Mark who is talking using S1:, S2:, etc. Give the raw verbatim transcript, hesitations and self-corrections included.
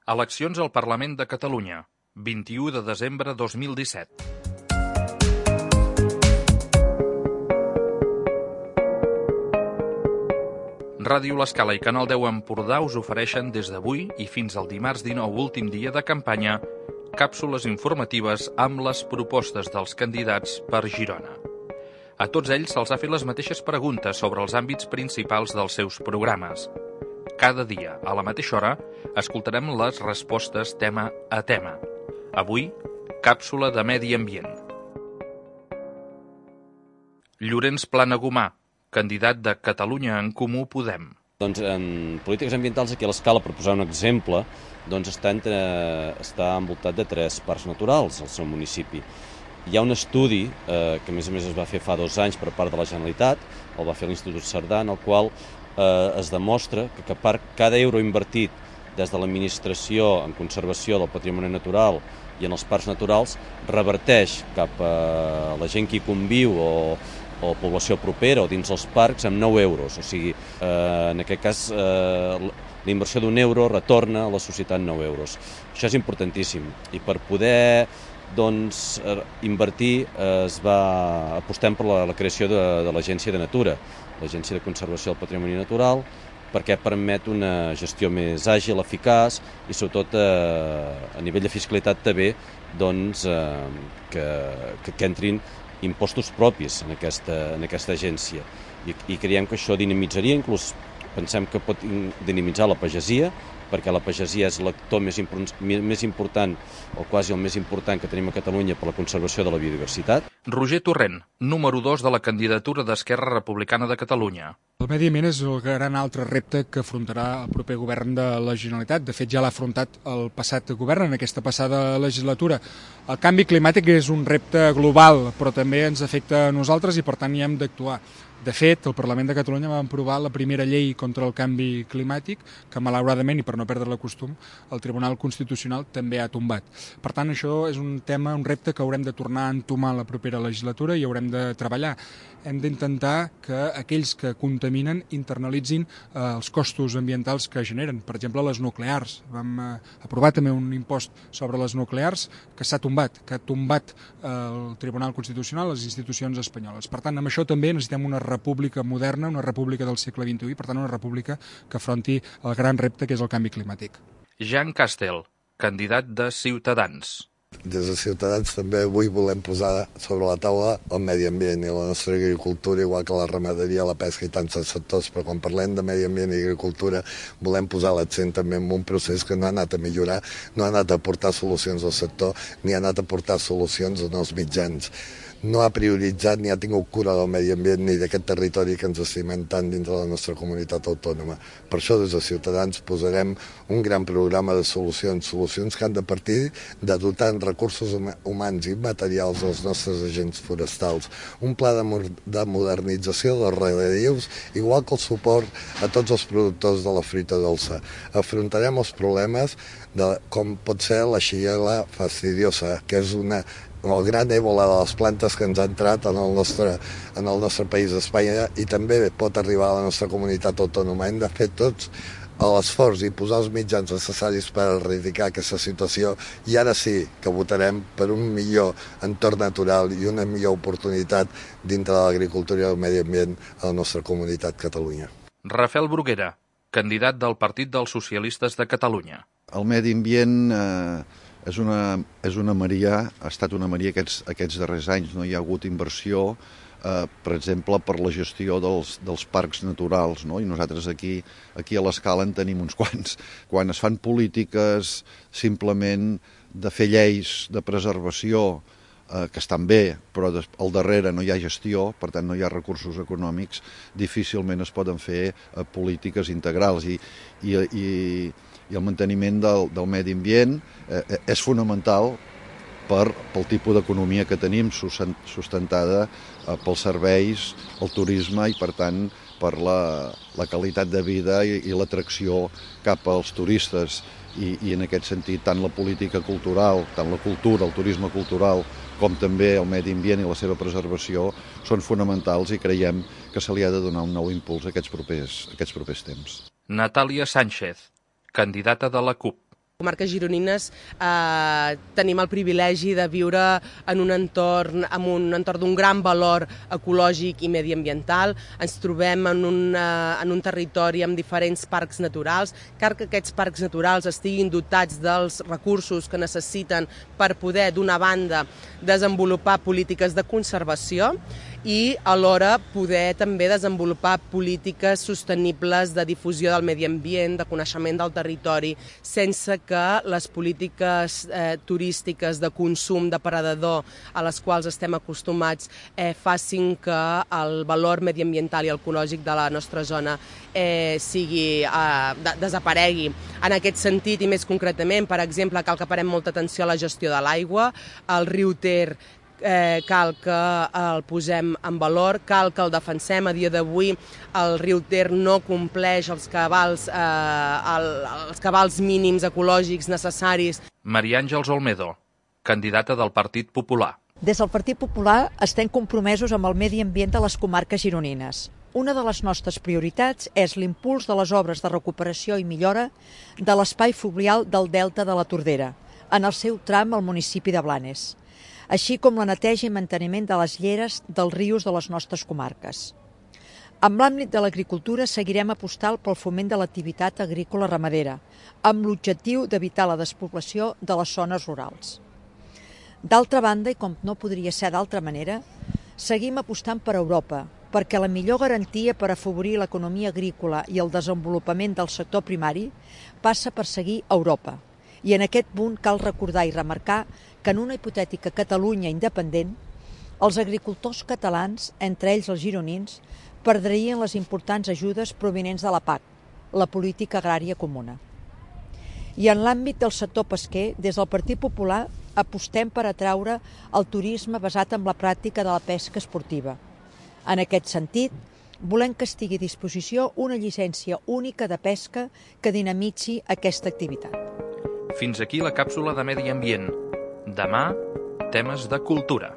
S1: Eleccions al Parlament de Catalunya, vint-i-u de desembre dos mil disset. Ràdio L'Escala i Canal deu Empordà us ofereixen des d'avui i fins al dimarts dinou, últim dia de campanya, càpsules informatives amb les propostes dels candidats per Girona. A tots ells se'ls ha fet les mateixes preguntes sobre els àmbits principals dels seus programes. Cada dia, a la mateixa hora, escoltarem les respostes tema a tema. Avui, càpsula de medi ambient. Llorenç Planagumà, candidat de Catalunya en Comú Podem.
S2: Doncs en polítiques ambientals, aquí a l'Escala, per posar un exemple, doncs està, entre, està envoltat de tres parcs naturals al seu municipi. Hi ha un estudi eh, que a més a més es va fer fa dos anys per part de la Generalitat, el va fer l'Institut Cerdà, en el qual eh, es demostra que, que per cada euro invertit des de l'administració en conservació del patrimoni natural i en els parcs naturals reverteix cap a la gent que hi conviu o, o població propera o dins els parcs amb nou euros. O sigui, eh, en aquest cas, eh, la inversió d'un euro retorna a la societat nou euros. Això és importantíssim. I per poder doncs, invertir es va apostem per la, la creació de, de l'Agència de Natura, l'Agència de Conservació del Patrimoni Natural, perquè permet una gestió més àgil, eficaç i sobretot eh, a nivell de fiscalitat també doncs, eh, que, que, que entrin impostos propis en aquesta, en aquesta agència. I, i creiem que això dinamitzaria, inclús pensem que pot dinamitzar la pagesia, perquè la pagesia és l'actor més, més important, o quasi el més important que tenim a Catalunya per la conservació de la biodiversitat.
S1: Roger Torrent, número dos de la candidatura d'Esquerra Republicana de Catalunya.
S3: El medi ambient és el gran altre repte que afrontarà el proper govern de la Generalitat. De fet, ja l'ha afrontat el passat govern en aquesta passada legislatura. El canvi climàtic és un repte global, però també ens afecta a nosaltres i per tant hi hem d'actuar. De fet, el Parlament de Catalunya va aprovar la primera llei contra el canvi climàtic, que malauradament, i per no perdre la costum, el Tribunal Constitucional també ha tombat. Per tant, això és un tema, un repte que haurem de tornar a entomar la propera legislatura i haurem de treballar. Hem d'intentar que aquells que contaminen internalitzin eh, els costos ambientals que generen. Per exemple, les nuclears. Vam eh, aprovar també un impost sobre les nuclears que s'ha tombat, que ha tombat eh, el Tribunal Constitucional, les institucions espanyoles. Per tant, amb això també necessitem una república moderna, una república del segle vint-i-u i, per tant, una república que afronti el gran repte que és el canvi climàtic.
S1: Jean Castel, candidat de Ciutadans.
S4: Des de Ciutadans també avui volem posar sobre la taula el medi ambient i la nostra agricultura, igual que la ramaderia, la pesca i tants sectors, però quan parlem de medi ambient i agricultura volem posar l'accent també en un procés que no ha anat a millorar, no ha anat a aportar solucions al sector, ni ha anat a aportar solucions en els mitjans. No ha prioritzat ni ha tingut cura del medi ambient ni d'aquest territori que ens estimem tant dins de la nostra comunitat autònoma. Per això des de Ciutadans posarem un gran programa de solucions, solucions que han de partir de dotar en recursos humans i materials els nostres agents forestals, un pla de, de modernització dels regadius, igual que el suport a tots els productors de la fruita dolça. Afrontarem els problemes de com pot ser la xigel·la fastidiosa, que és una el gran èbola de les plantes que ens ha entrat en el nostre, en el nostre país d'Espanya i també pot arribar a la nostra comunitat autònoma. Hem de fer tots l'esforç i posar els mitjans necessaris per erradicar aquesta situació i ara sí que votarem per un millor entorn natural i una millor oportunitat dintre de l'agricultura i el medi ambient a la nostra comunitat Catalunya.
S1: Rafael Bruguera, candidat del Partit dels Socialistes de Catalunya.
S5: El medi ambient eh, és, una, és una maria, ha estat una maria aquests, aquests darrers anys. No hi ha hagut inversió, eh, per exemple, per la gestió dels, dels parcs naturals, no? I nosaltres aquí, aquí a l'Escala en tenim uns quants. Quan es fan polítiques simplement de fer lleis de preservació, eh, que estan bé, però al darrere no hi ha gestió, per tant no hi ha recursos econòmics, difícilment es poden fer eh, polítiques integrals i, i, i i el manteniment del, del medi ambient eh, és fonamental per, pel tipus d'economia que tenim, sustentada eh, pels serveis, el turisme i, per tant, per la, la qualitat de vida i, i l'atracció cap als turistes. I, I en aquest sentit, tant la política cultural, tant la cultura, el turisme cultural, com també el medi ambient i la seva preservació són fonamentals i creiem que se li ha de donar un nou impuls a aquests propers, a aquests propers temps.
S1: Natàlia Sánchez, candidata de la CUP.
S6: comarques gironines eh, tenim el privilegi de viure en un entorn, en un entorn d'un gran valor ecològic i mediambiental. Ens trobem en un, eh, en un territori amb diferents parcs naturals. Cal que aquests parcs naturals estiguin dotats dels recursos que necessiten per poder, d'una banda, desenvolupar polítiques de conservació i alhora poder també desenvolupar polítiques sostenibles de difusió del medi ambient, de coneixement del territori, sense que les polítiques eh, turístiques de consum depredador a les quals estem acostumats eh, facin que el valor mediambiental i ecològic de la nostra zona eh, sigui, eh, de, desaparegui. En aquest sentit, i més concretament, per exemple, cal que parem molta atenció a la gestió de l'aigua. El riu Ter Eh, cal que el posem en valor, cal que el defensem. A dia d'avui el riu Ter no compleix els cabals, eh, el, els cabals mínims ecològics necessaris.
S1: Maria Àngels Olmedo, candidata del Partit Popular.
S7: Des del Partit Popular estem compromesos amb el medi ambient de les comarques gironines. Una de les nostres prioritats és l'impuls de les obres de recuperació i millora de l'espai fluvial del Delta de la Tordera, en el seu tram al municipi de Blanes, així com la neteja i manteniment de les lleres dels rius de les nostres comarques. En l'àmbit de l'agricultura seguirem apostant pel foment de l'activitat agrícola ramadera, amb l'objectiu d'evitar la despoblació de les zones rurals. D'altra banda, i com no podria ser d'altra manera, seguim apostant per Europa, perquè la millor garantia per afavorir l'economia agrícola i el desenvolupament del sector primari passa per seguir Europa. I en aquest punt cal recordar i remarcar que en una hipotètica Catalunya independent, els agricultors catalans, entre ells els gironins, perdrien les importants ajudes provinents de la P A C, la Política Agrària Comuna. I en l'àmbit del sector pesquer, des del Partit Popular apostem per atraure el turisme basat en la pràctica de la pesca esportiva. En aquest sentit, volem que estigui a disposició una llicència única de pesca que dinamitzi aquesta activitat.
S1: Fins aquí la càpsula de Medi Ambient. Demà, temes de cultura.